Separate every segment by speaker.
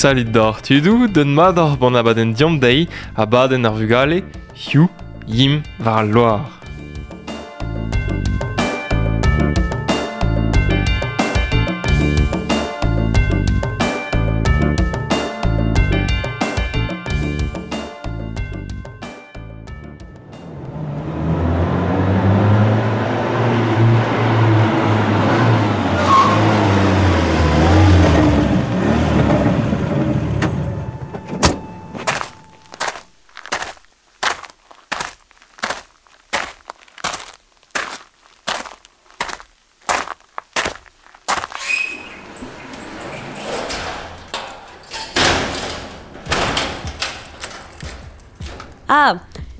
Speaker 1: Salut d'or tudoù, d'un mat oc'h bon abadenn diomp dezhi, abadenn ar vugale, hiziv, yimp war al loar.
Speaker 2: Ah,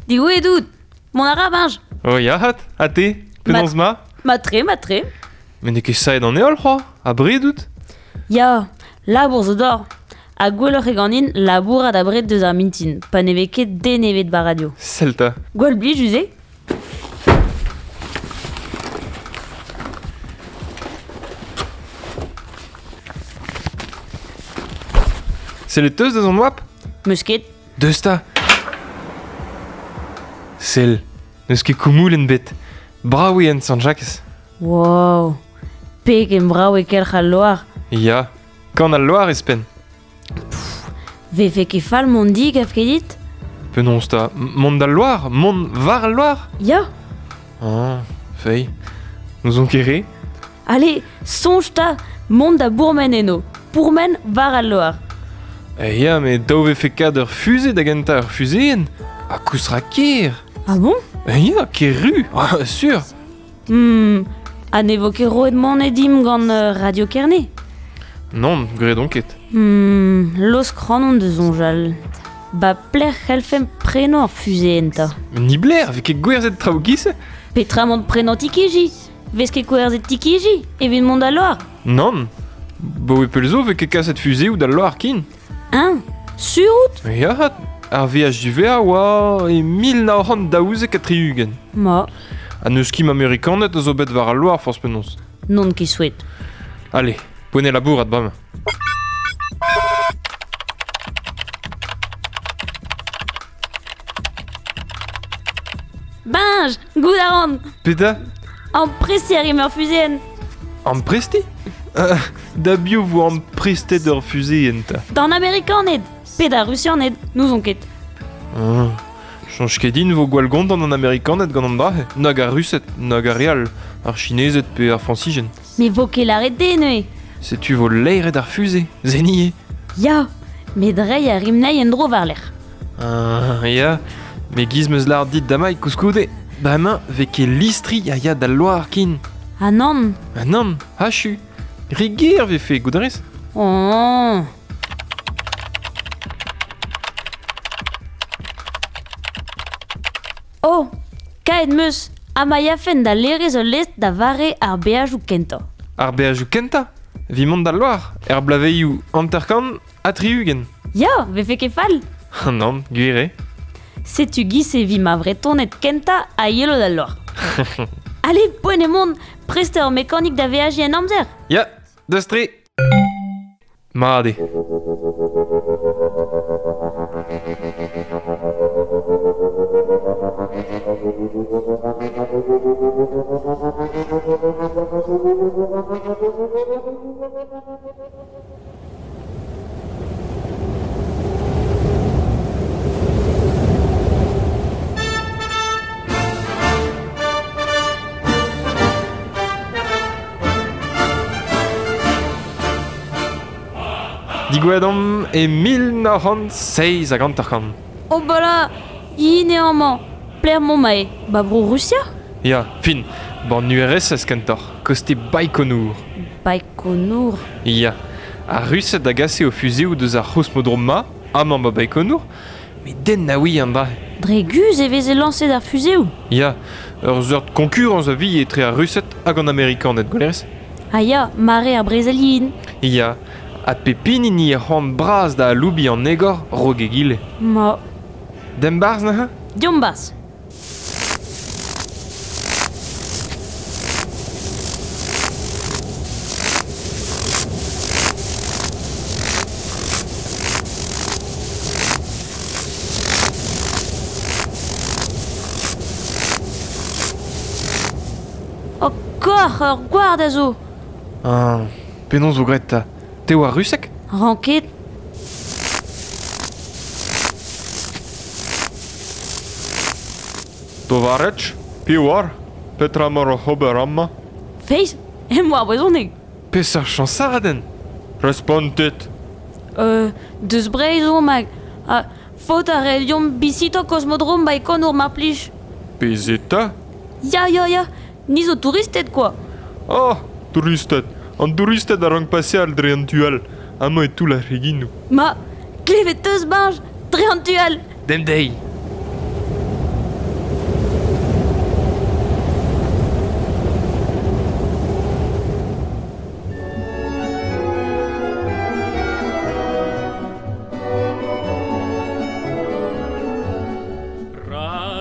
Speaker 2: digouezhet out. Mont a ra, Benj.
Speaker 1: Oh ya, hat, ha te, penaos ma?
Speaker 2: Mat-tre, mat-tre.
Speaker 1: Met n'eo ket saet an heol c'hoazh, abred out?
Speaker 2: Ya, labour zo d'or. Ha gwelloc'h eo ganin labourat abred deus ar mintin, pa ne vez ket den ebet ba radio.
Speaker 1: Sell 'ta.
Speaker 2: Gwall blijus eo.
Speaker 1: Sellet 'teus deus an oabl?
Speaker 2: Meus ket.
Speaker 1: Deus 'ta. Sell, n'eus ket koumoulenn bet. Brav eo en Sant-Jakez.
Speaker 2: Wow, pegen brav eo kelc'h al loar.
Speaker 1: Ya, kan al loar ez-penn.
Speaker 2: Vefe ket fall mont di, gav ket dit?
Speaker 1: Penaos 'ta, mont d'al loar? Mont war al loar?
Speaker 2: Ya.
Speaker 1: Ah, fei, n'ouzon ket re.
Speaker 2: Allez, soñj 'ta, mont da bourmen eno. Pourmen war al loar.
Speaker 1: Eh ya, met dav vefe kad ur fuze da gentañ ur fuzeenn. Ha koust ra ker.
Speaker 2: Ah bon?
Speaker 1: Eh ya, ker-ru, ah, sur.
Speaker 2: Hmm, ha ne vo ket roet moned dimp gant Radio Kerne?
Speaker 1: Nann, graet on ket.
Speaker 2: Hmm, laosk ac'hanon da soñjal. Ba pelec'h c'hellfemp prenañ ur fuzeenn 'ta?
Speaker 1: Nibler, vez ket gwerzhet traoù giz-se?
Speaker 2: Petra mont prenañ tikiji? Vez ket gwerzhet tikiji evit mont d'al loar?
Speaker 1: Nann. Baoe pell zo vez ket kaset fuzeoù d'al loar ken.
Speaker 2: Hein? Sur out?
Speaker 1: Ya, ar veaj diwezhañ oa e 1972.
Speaker 2: Ma.
Speaker 1: Ha n'eus ket Amerikaned a zo bet war al loar forzh penaos.
Speaker 2: N'on ket souet.
Speaker 1: Allez, poent eo labourat bremañ.
Speaker 2: Benj, goût a ran.
Speaker 1: Petra?
Speaker 2: Amprestiñ a rimp ur fuzeenn.
Speaker 1: Amprestiñ? Da biv vo amprestet ur fuzeenn 'ta?
Speaker 2: D'an Amerikaned pe d'ar Rusianed, n'ouzon ket.
Speaker 1: Ah, Soñj ket din vo gwall gontant an Amerikaned gant an dra-se, nag ar Rused, nag ar re all, ar Chinezed pe ar Frañsizien.
Speaker 2: Me vo ket lâret dezhe neuze.
Speaker 1: Setu vo laeret ar fuze, se eo.
Speaker 2: Ya, met reiñ a rimp anezhi en-dro war-lerc'h.
Speaker 1: Ah, ya, met giz 'm eus lâret dit damai koulskoude, bremañ 'vez ket listri a ya d'al loar ken.
Speaker 2: Ah nann.
Speaker 1: Ah nann, achu. Re ger 'vefe, goût a rez?
Speaker 2: Oh. Oh, kaet 'm eus ha ma yafen da laerezh ul lestr da vare ar beajoù kentañ.
Speaker 1: Ar beajoù kentañ? Evit mont d'al loar, er bloavezhioù 50 ha 60.
Speaker 2: Ya, 'vefe ket fall.
Speaker 1: Nann, gwir eo.
Speaker 2: Setu giz e vi ma Vretoned kentañ a yelo d'al loar. Allez, poent eo mont, prest eo ar mekanik da veajiñ en amzer.
Speaker 1: Ya, deus tre. Mat eo. Digouezhet omp e 1957.
Speaker 2: Oh bala, int eo amañ. Pelec'h 'maomp aze? Ba Bro-Rusia?
Speaker 1: Ya, fin, ban URSS kentoc'h, koste Baïkonour.
Speaker 2: Baïkonour?
Speaker 1: Ya, ar Rused a gase o fuzeoù deus ar c'hosmodrom-mañ, amañ ba Baïkonour, met den na ouie an dra-se.
Speaker 2: Dre guzh e veze lañset ar fuzeoù?
Speaker 1: Ya, ur seurt konkurañs a vi etre ar Rused hag an Amerikaned, gwelerez?
Speaker 2: Ah ya, mare ar brezel yen.
Speaker 1: Ya, ha pep hini 'ni c'hoant bras da aloubiñ an egor 'raok egile.
Speaker 2: Ma.
Speaker 1: Demp 'barzh neuze?
Speaker 2: Deomp 'barzh. Trawalc'h ur gward a zo.
Speaker 1: Ah, penaos zo graet ta? Te oa rusek?
Speaker 2: Ranket.
Speaker 1: Tovarech, piv oar? Petra emañ oc'h ober amañ?
Speaker 2: Feiz, em boa brezhoneg.
Speaker 1: Peseurt chañsadenn? Respontit.
Speaker 2: Deus Breizh omp hag... Ha faot a rae deomp bizitañ Kosmodrom Baïkonour mar plij.
Speaker 1: Bizitañ?
Speaker 2: Ya, ya, ya. Ni zo touristed kwa.
Speaker 1: Oh, touristed. An douristed a rank paseal dre an tu all. Amañ e toull ar c'heginoù.
Speaker 2: Ma, klevet 'teus, Bañj, dre an tu all.
Speaker 1: Demp dezhi.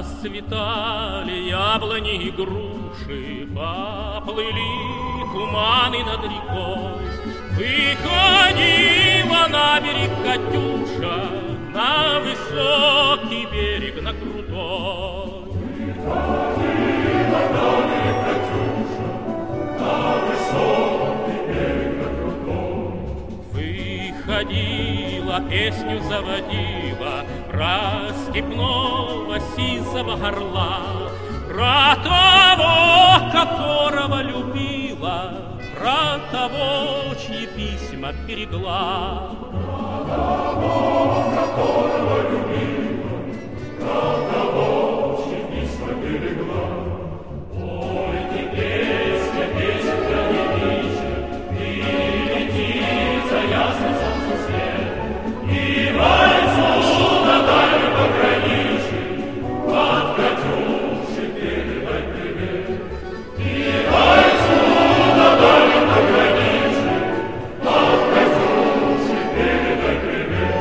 Speaker 3: Расцветали яблони и груши, поплыли туманы над рекой. Выходила на берег Катюша, на высокий берег, на крутой. Выходила на берег Катюша, на высокий берег, на крутой. Выходила, песню заводила про степного сизого орла, про того, которого любила, про того, чьи письма берегла. Про того, которого любила, про того, чьи письма берегла. Ой, ты песня, песенка девичья, ты лети за ясным солнцем свет, и вальсу на дальнем пограничье от Катюши передай привет. И вальсу на дальнем пограничье от Катюши передай привет.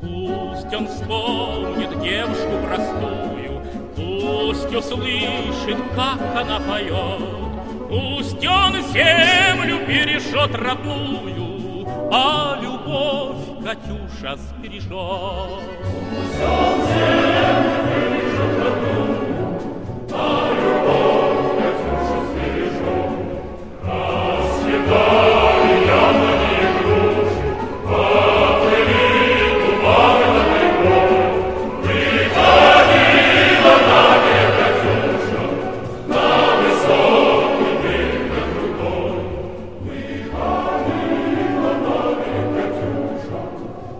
Speaker 3: Пусть он вспомнит девушку простую, пусть услышит, как она поет, пусть он землю бережет родную, а любовь Катюша сбережет. Пусть он землю бережет родную, а любовь Катюша сбережет. Расцветали яблони и груши, поплыли туманы над рекой. Выходила на берег Катюша, на высокий берег, на крутой. Выходила на берег Катюша,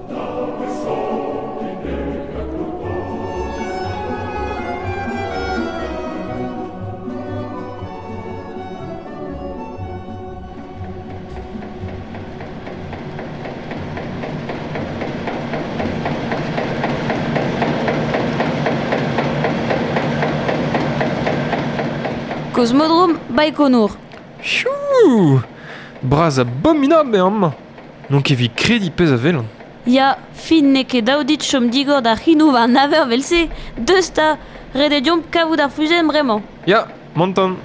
Speaker 3: на высокий берег, на крутой.
Speaker 2: Kosmodrom Baïkonour.
Speaker 1: Piou! Bras abominabl eo amañ. N'on ket evit krediñ pezh a welan.
Speaker 2: Ya, fin n'eo ket dav dit chom digor da c'hinoù war an aver vel-se. Deus 'ta, ret eo deomp kavout ar fuzenn bremañ.
Speaker 1: Ya, montan.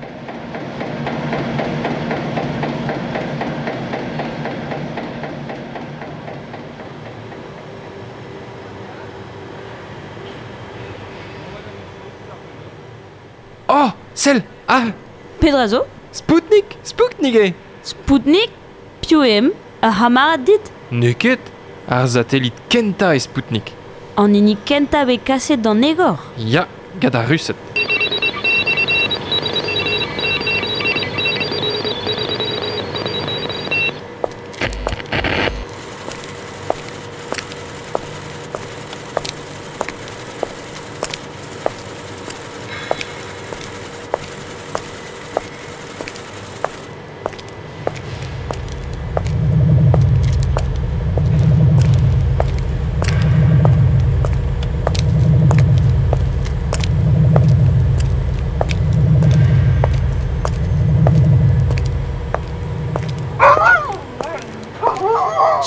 Speaker 1: Oh, sell! Ah,
Speaker 2: Pedra zo?
Speaker 1: Spoutnik! Spoutnik eo!
Speaker 2: Spoutnik? Piv eo em? Ar c'hamarad dit?
Speaker 1: N'eo ket! Ar satellit kentañ eo Spoutnik.
Speaker 2: An hini kentañ bet kaset d'an egor.
Speaker 1: Ya, gant ar Rused.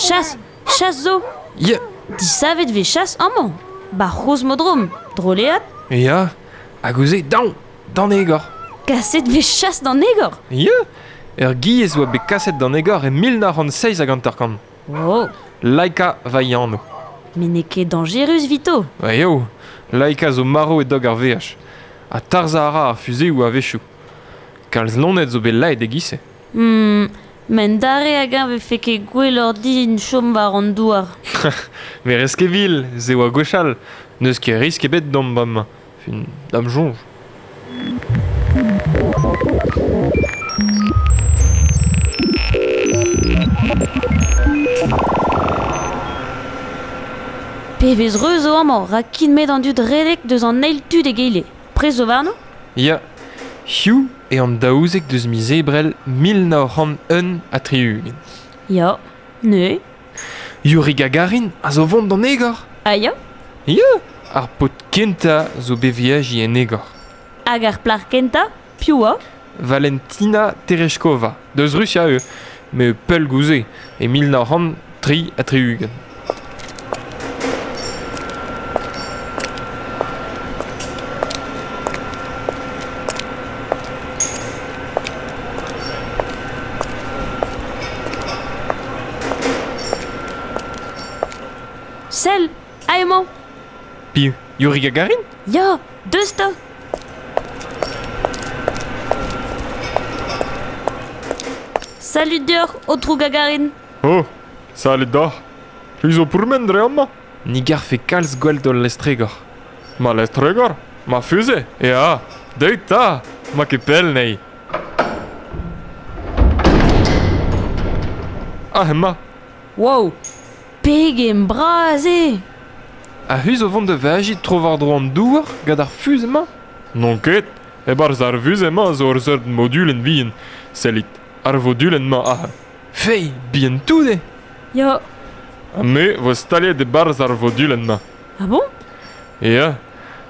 Speaker 2: Chas, chas zo.
Speaker 1: Ya,
Speaker 2: Disavet vez chas amañ. Ba c'hosmodrom, droleat.
Speaker 1: ya, hag ouzh eo daon, d'an egor.
Speaker 2: Kaset vez chas d'an egor.
Speaker 1: Ya, ur giez oa bet kaset d'an egor e 1957.
Speaker 2: Oh.
Speaker 1: Laika va anv.
Speaker 2: Met n'eo ket dañjerus 'vito.
Speaker 1: Ba eo, Laika zo marv e-doug ar veaj. Ha tarzhañ a ra ar fuzeoù a-wechoù. Kalz loened zo bet laet e-giz-se.
Speaker 2: Men dare hag-eñ 'vefe ket gwelloc'h din chom war an douar.
Speaker 1: Me rez ket vil, se oa gwechall. N'eus ket risk ebet d'omp amañ. Fin, da'm soñj.
Speaker 2: Pebezh reuz zo amañ, rak kin 'met an dud redek deus an eil tu d'egile. Prest zo warno?
Speaker 1: Ya, hiziv eo an 12 deus miz Ebrel 1961.
Speaker 2: Ya, neuze?
Speaker 1: Yuri Gagarin a zo vont d'an egor.
Speaker 2: Ah ya?
Speaker 1: Ya, ar paotr kentañ zo bet veajiñ en egor.
Speaker 2: Hag ar plac'h kentañ, piv oa?
Speaker 1: Valentina Tereshkova, deus Rusia eo, met pell gouze, e 1963.
Speaker 2: Sell, aze emañ.
Speaker 1: Piv? Yuri Gagarin?
Speaker 2: Ya, deus 'ta. Salud deoc'h, aotrou Gagarin.
Speaker 1: Oh, salud deoc'h. C'hwi zo pourmen dre amañ? Ni garfe kalz gwell d'hol lestregor. Ma lestregor? Ma fuze? Ya, deuit 'ta, 'ma ket pell anezhi. Ah, emañ.
Speaker 2: Wow, pegen bras eo!
Speaker 1: Ha c'hwi zo vont da veajiñ tro-war-dro an douar gant ar fuze-mañ? N'on ket. E-barzh ar fuze-mañ zo ur seurt modulenn vihan. Sellit, ar vodulenn-mañ aze. Fei, bihan-tout eo!
Speaker 2: Ya.
Speaker 1: Ha me 'vo staliet e-barzh ar vodulenn-mañ.
Speaker 2: Ah bon?
Speaker 1: Ya.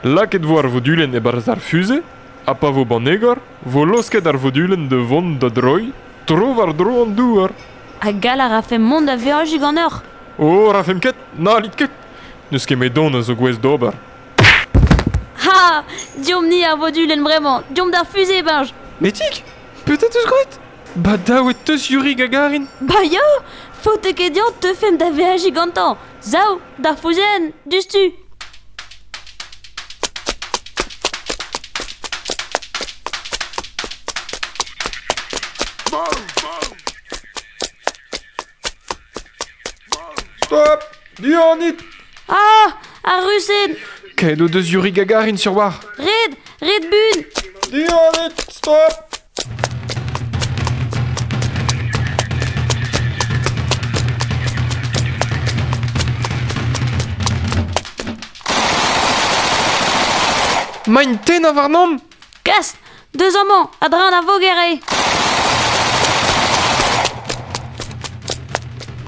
Speaker 1: Lakaet 'vo ar vodulenn e-barzh ar fuze, ha pa vo 'ban egor, 'vo laosket ar vodulenn da vont da droiñ tro-war-dro an douar.
Speaker 2: Ha gall a rafemp mont da veajiñ ganeoc'h?
Speaker 1: Oh, rafemp ket, n'hallit ket. N'eus ket met-don a zo gouest d'ober.
Speaker 2: Ha! Deomp-ni ar vodulenn bremañ, deomp d'ar fuze, Benj!
Speaker 1: Metig, petra 'teus graet? Ba dav e teus Yuri Gagarin.
Speaker 2: Ba ya! Faote ket dezhañ teufemp da veajiñ gantañ. Sav, d'ar fuzeenn, diouzhtu!
Speaker 1: Stop! Dianit!
Speaker 2: Ah! Ar Rused!
Speaker 1: Kaet o deus Yuri Gagarin sur war.
Speaker 2: Red! Red bun!
Speaker 1: Dianit! Stop! Maint tennañ warnomp!
Speaker 2: Kas! Deus amañ, a-dreñv ar voger eo!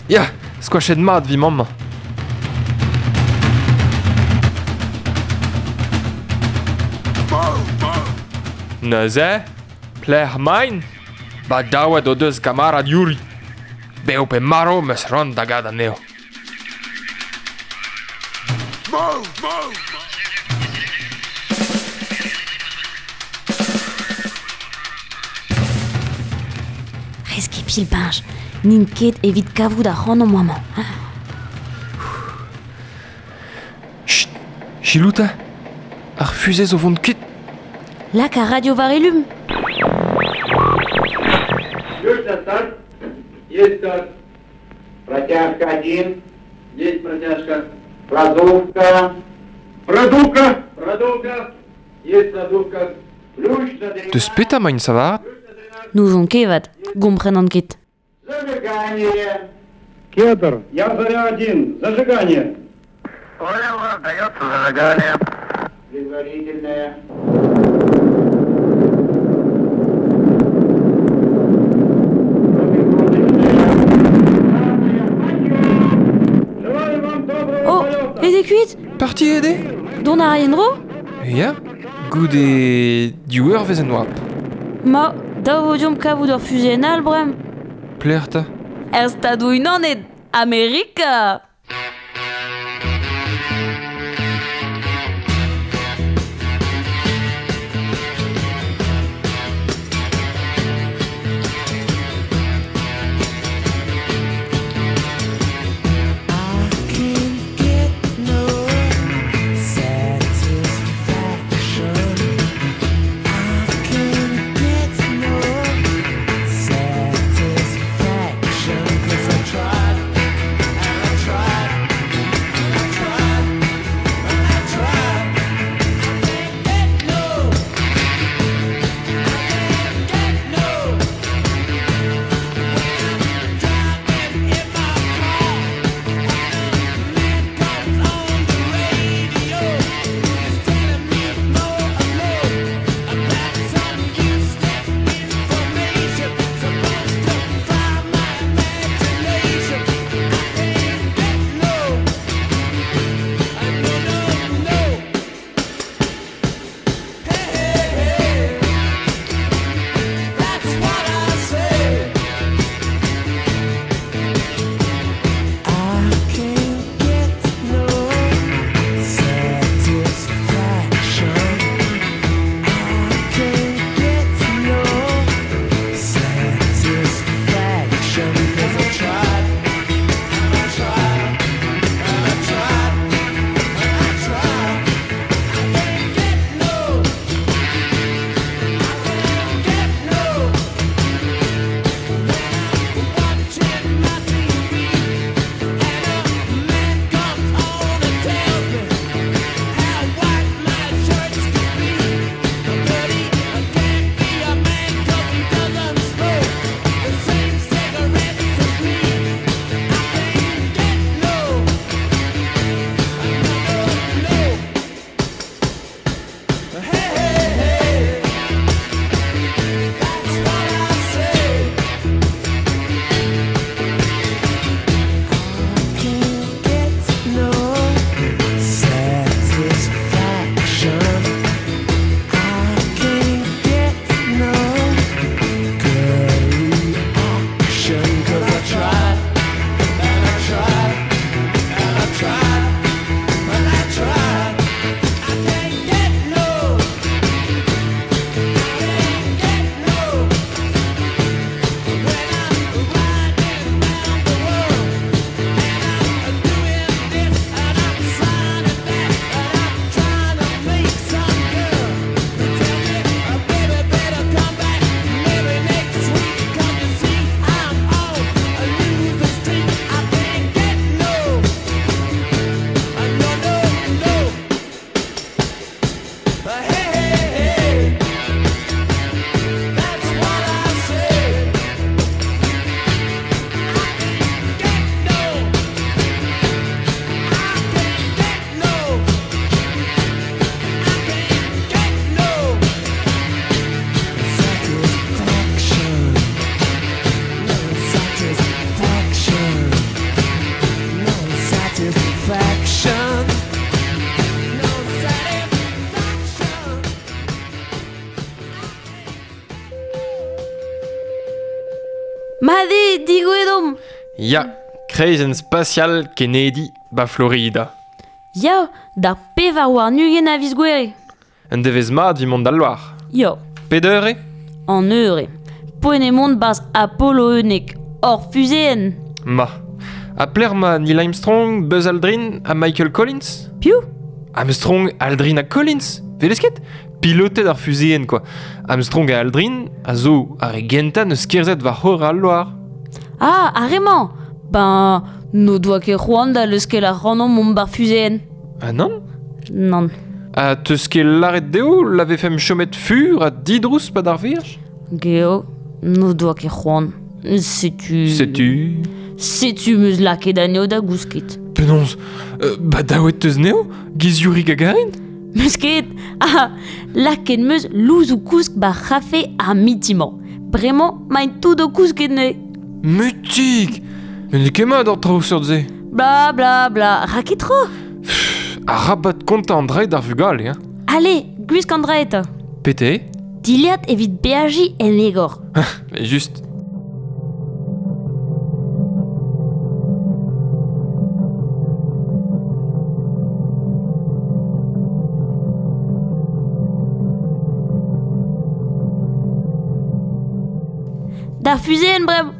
Speaker 1: Ya, skoachet mat 'vit mammañ. Neuze, pelec'h 'maint? Badaouet o deus kamarad Yuri. Bev pe marv 'm eus c'hoant da ga't anezho.
Speaker 2: Rez ket pilbenj, n'int ket evit kavout ac'hanomp amañ.
Speaker 1: Chut, selaou 'ta, ar fuzez o vont kuit.
Speaker 2: Lak ar radio war elum.
Speaker 4: Есть старт. Протяжка один. Есть протяжка. Продувка. Продувка. Продувка. Есть продувка. Ключ на
Speaker 1: Deus petra emaint savaret?
Speaker 2: N'ouzon ket 'vat, gomprenan ket.
Speaker 4: Зажигание. Кедр. Я заря один. Зажигание. Понял, дается зажигание. Предварительное.
Speaker 2: Oh, aet eo kuit?
Speaker 1: Parti eo dezhe?
Speaker 2: Dont a ray en-dro?
Speaker 1: Ya, goude div eurvezh en oabl.
Speaker 2: Ma, dav eo deomp kavout ur fuzeenn all bremañ.
Speaker 1: Pelec'h 'ta?
Speaker 2: Er Stadoù-Unanet, Amerika! Mat eo, digouezhet omp.
Speaker 1: Ya, kreizenn spasial Kennedy 'ba Florida.
Speaker 2: Ya, d'ar 24 a viz Gouere.
Speaker 1: Un devezh mat evit mont d'al loar.
Speaker 2: Ya.
Speaker 1: Pet eur eo?
Speaker 2: An eur eo. Poent eo mont 'barzh Apollo 11, hor fuzeenn.
Speaker 1: Ma. Ha pelec'h emañ Neil Armstrong, Buzz Aldrin ha Michael Collins?
Speaker 2: Piv?
Speaker 1: Armstrong, Aldrin ha Collins? Welez ket? Piloted ar fuzeenn kwa. Armstrong ha Aldrin a zo ar re gentañ neus kerzhet war c'horre al loar.
Speaker 2: Ah, ar re-mañ! Ben, n'o doa ket c'hoant da leuskel ac'hanomp mont 'bar fuzeenn.
Speaker 1: Ah nann?
Speaker 2: Nann.
Speaker 1: Ha 'teus ket lâret dezho la vefemp chomet fur ha didrouz 'pad ar veaj?
Speaker 2: Geo, n'o doa ket c'hoant. Setu...
Speaker 1: Setu...
Speaker 2: Setu 'm eus lakaet anezho da gousket.
Speaker 1: Penaos? Ba daouet 'teus anezho? Giz Yuri Gagarin?
Speaker 2: 'Meus ket! Ah, lakaet 'm eus louzoù-kousk 'bar c'hafe ar miti-mañ. Bremañ 'maint tout o kousket neuze.
Speaker 1: Mutig! Met n'eo ket mat an traoù seurt-se.
Speaker 2: Bla bla bla, ra ket tro!
Speaker 1: Arabat kontañ an dra d'ar vugale, hein.
Speaker 2: Ale, gwisk an dra eta.
Speaker 1: Pete?
Speaker 2: Dilhad evit beajiñ en egor.
Speaker 1: Just.
Speaker 2: D'ar fuzeenn bremañ.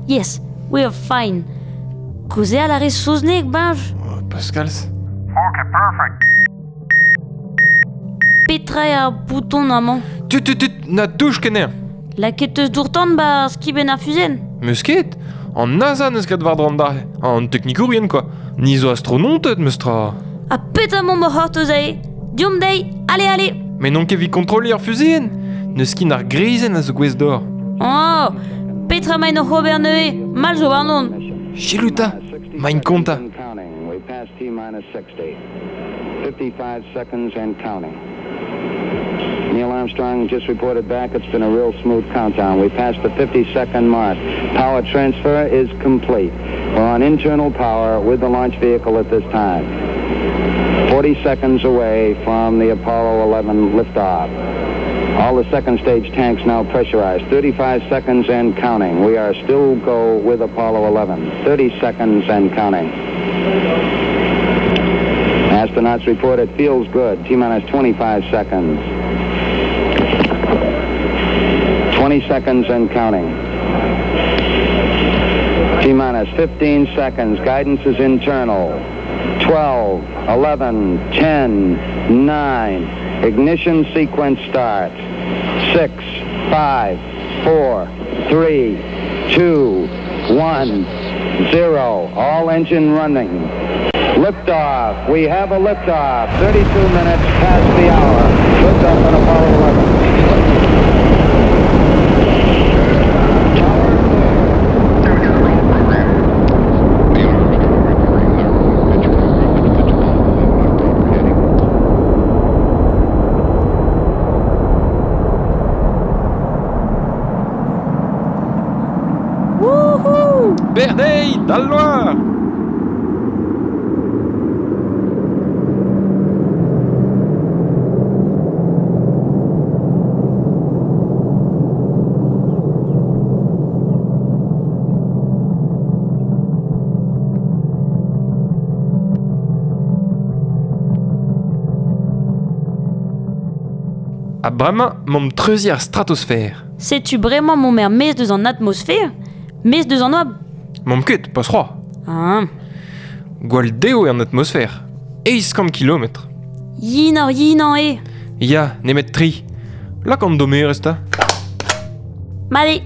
Speaker 2: Yes, we are fine. Kaozeal a rez saozneg, Benj?
Speaker 1: Pascal's.
Speaker 3: Okay, perfect.
Speaker 2: Petra eo ar bouton amañ?
Speaker 1: Tut, tut, tut, na touch ket anezhañ.
Speaker 2: Lakaet 'teus dour-tan 'ba skibenn ar fuzenn?
Speaker 1: Meus ket. An NASA 'neus graet war-dro an dra. An teknikourien, quoi. Ni zo astrononted, meus tra.
Speaker 2: Ha petra 'maomp o c'hortoz aze? Deomp dezhi, ale, ale!
Speaker 1: Met n'on ket evit kontrolliñ ar fuzeenn. N'eus ket ar greizenn a zo gouest d'or.
Speaker 2: Oh, petra 'maint oc'h ober neuze? Mall zo warnon.
Speaker 1: Selaou 'ta, 'maint kontañ.
Speaker 4: We passed T minus 60. 55 seconds and counting. Neil Armstrong just reported back it's been a real smooth countdown. We passed the 50-second mark. Power transfer is complete. We're on internal power with the launch vehicle at this time. 40 seconds away from the Apollo 11 liftoff. All the second stage tanks now pressurized. 35 seconds and counting. We are still go with Apollo 11. 30 seconds and counting. Astronauts report it feels good. T minus 25 seconds. 20 seconds and counting. T minus 15 seconds. Guidance is internal. 12, 11, 10, 9. Ignition sequence start. 6, 5, 4, 3, 2, 1, 0. All engine running. Liftoff. We have a liftoff. 32 minutes past the hour. Liftoff on Apollo 11.
Speaker 2: Wouhou!
Speaker 1: Berdeiz, d'al loar! Ha bremañ 'momp treuziñ ar stratosfer.
Speaker 2: Setu bremañ 'momp er-maez deus an atmosfer, maez deus an oabl.
Speaker 1: 'Momp ket, pas c'hoazh.
Speaker 2: Ah.
Speaker 1: Gwall dev eo an atmosfer. 800 kilometr.
Speaker 2: Yin-oc'h-yinañ eo.
Speaker 1: Ya, nemet tri. Lak an dommerez 'ta.
Speaker 2: Mat eo.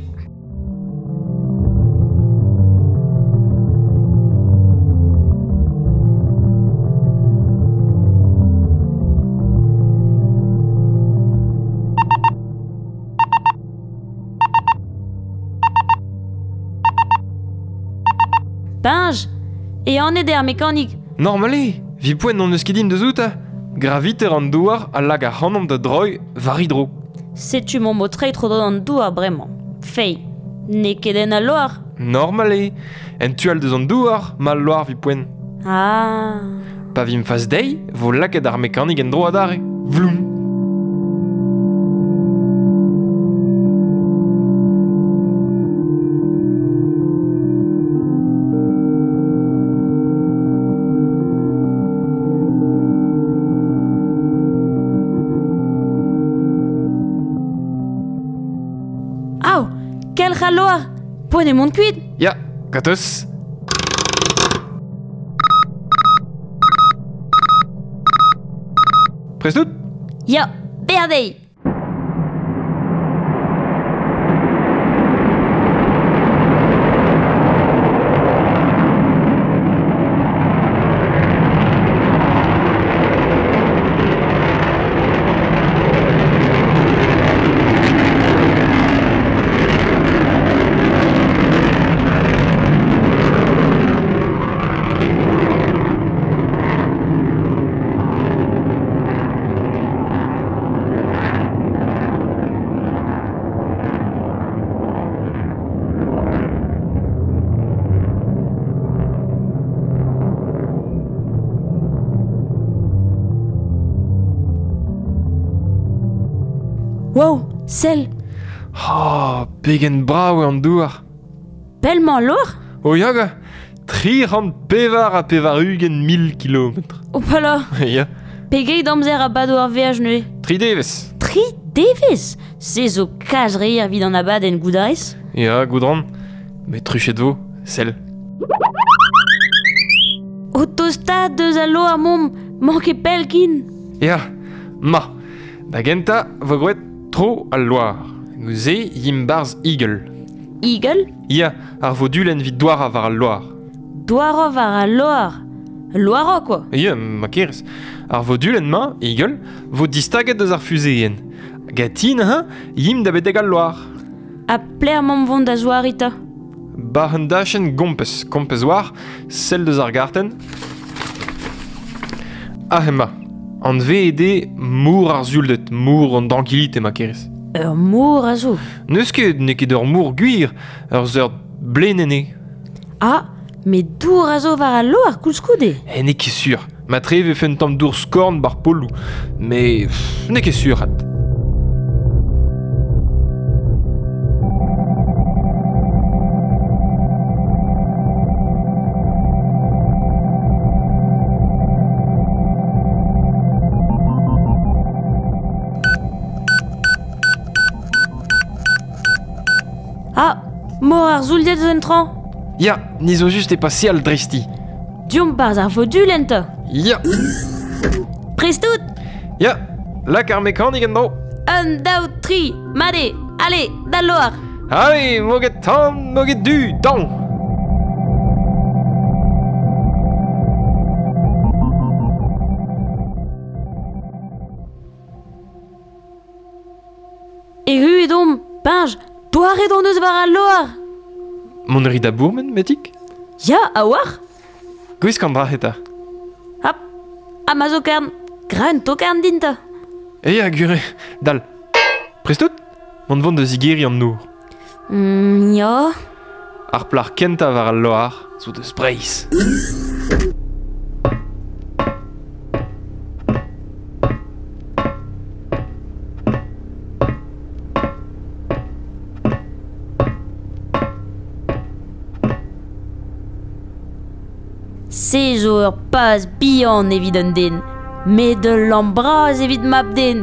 Speaker 2: Peñj, ehanet eo ar mekanik.
Speaker 1: Normal eo, Vi poent n'on eus ket din deus out, Graviter an douar a lag ac'hanomp da droi war hidro.
Speaker 2: Setu mon mo treiñ tro an douar bremañ. Fei, n'eo ket en al loar.
Speaker 1: Normal eo. En tu all deus an douar, ma loar vi poent.
Speaker 2: Ah.
Speaker 1: Pa vim fas dezhi, vo lakaet ar mekanik en dro adarre. Vloum.
Speaker 2: Au, kelc'h al loar. Poent eo mont kuit.
Speaker 1: Ya, gateus. Prest out?
Speaker 2: Ya, berdei. Wow, sell,
Speaker 1: Oh, pegen brav eo an douar.
Speaker 2: pellemañ al loar?
Speaker 1: O yaga, 384 mil kilometr.
Speaker 2: O pala,
Speaker 1: Ya,
Speaker 2: pegeit amzer a bado ar veaj neuze.
Speaker 1: tri devezh.
Speaker 2: Tri devezh. Se zo kalz re evit an abadenn goudarez.
Speaker 1: Ya, goudran. Met truchet vo, sell.
Speaker 2: O tostaat deus al loar momp, mank ket pell kin.
Speaker 1: Ya, ma. Da gentañ vo groet tro al loar. Gouze yim barzh Eagle.
Speaker 2: Eagle,
Speaker 1: Ya, ar vodulenn vit douar war al loar.
Speaker 2: douarov war al loar. Loaro, quoi.
Speaker 1: Ya, ma kerez. Ar vodulenn-mañ, Eagle, vo distaget deus ar fuzeen. Gatin, hein, yim da betek al loar.
Speaker 2: Ha pler mamm vont da zouarita.
Speaker 1: Bar un dachenn gompez, kompez war, sell deus ar gartenn. Ah, ema. An VED mour ar zuldet, mour an dankilite ma kerez.
Speaker 2: Ur mor a zo.
Speaker 1: N'eus ket, n'eo ket ur mour gwir, ur seurt blenenn eo.
Speaker 2: Ah, met dour a zo war al loar koulskoude.
Speaker 1: Eh, n'eo ket sur. Ma tre vefe un tamm dour skorn bar polou. Mais pff, n'eo ket sur, hat.
Speaker 2: Ah, mor ar zouldet zo en trañ.
Speaker 1: Ya, ni zo just e pase al dresti.
Speaker 2: Diomp barz ar vodulenn ta.
Speaker 1: Ya,
Speaker 2: Prest out.
Speaker 1: ya, lak ar mekanik en dro.
Speaker 2: Un, daou, tri, made, allez, d'al loar.
Speaker 1: Allez, moget tan, moget du, dan.
Speaker 2: Erru edomp, pinj, douaret hon eus war al loar.
Speaker 1: Mont ri da bourmen, metik?
Speaker 2: Ya, a war.
Speaker 1: Gwisk an dra eta.
Speaker 2: Hop, ha ma zo karn, gra un tokarn din ta.
Speaker 1: E ya, gure, dal. Prest out? Mont vont da zigeri an nour.
Speaker 2: Ya.
Speaker 1: Ar plar kentañ war al loar zo deus Breizh.
Speaker 2: Se zo ur paz bihan evit un den, met ul lamm bras evit mab-den.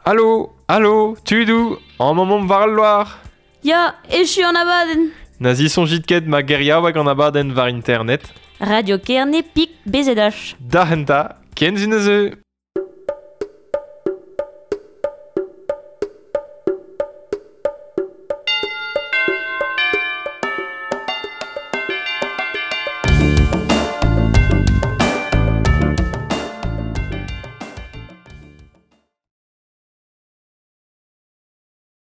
Speaker 1: Alo, alo, tudoù, amañ 'maomp war al loar.
Speaker 2: Ya, echu an abadenn.
Speaker 1: Na zisoñjit ket ma geriaoueg an abadenn war internet.
Speaker 2: Radio Kerne pik BZH.
Speaker 1: Da enta, ken zin a zeu.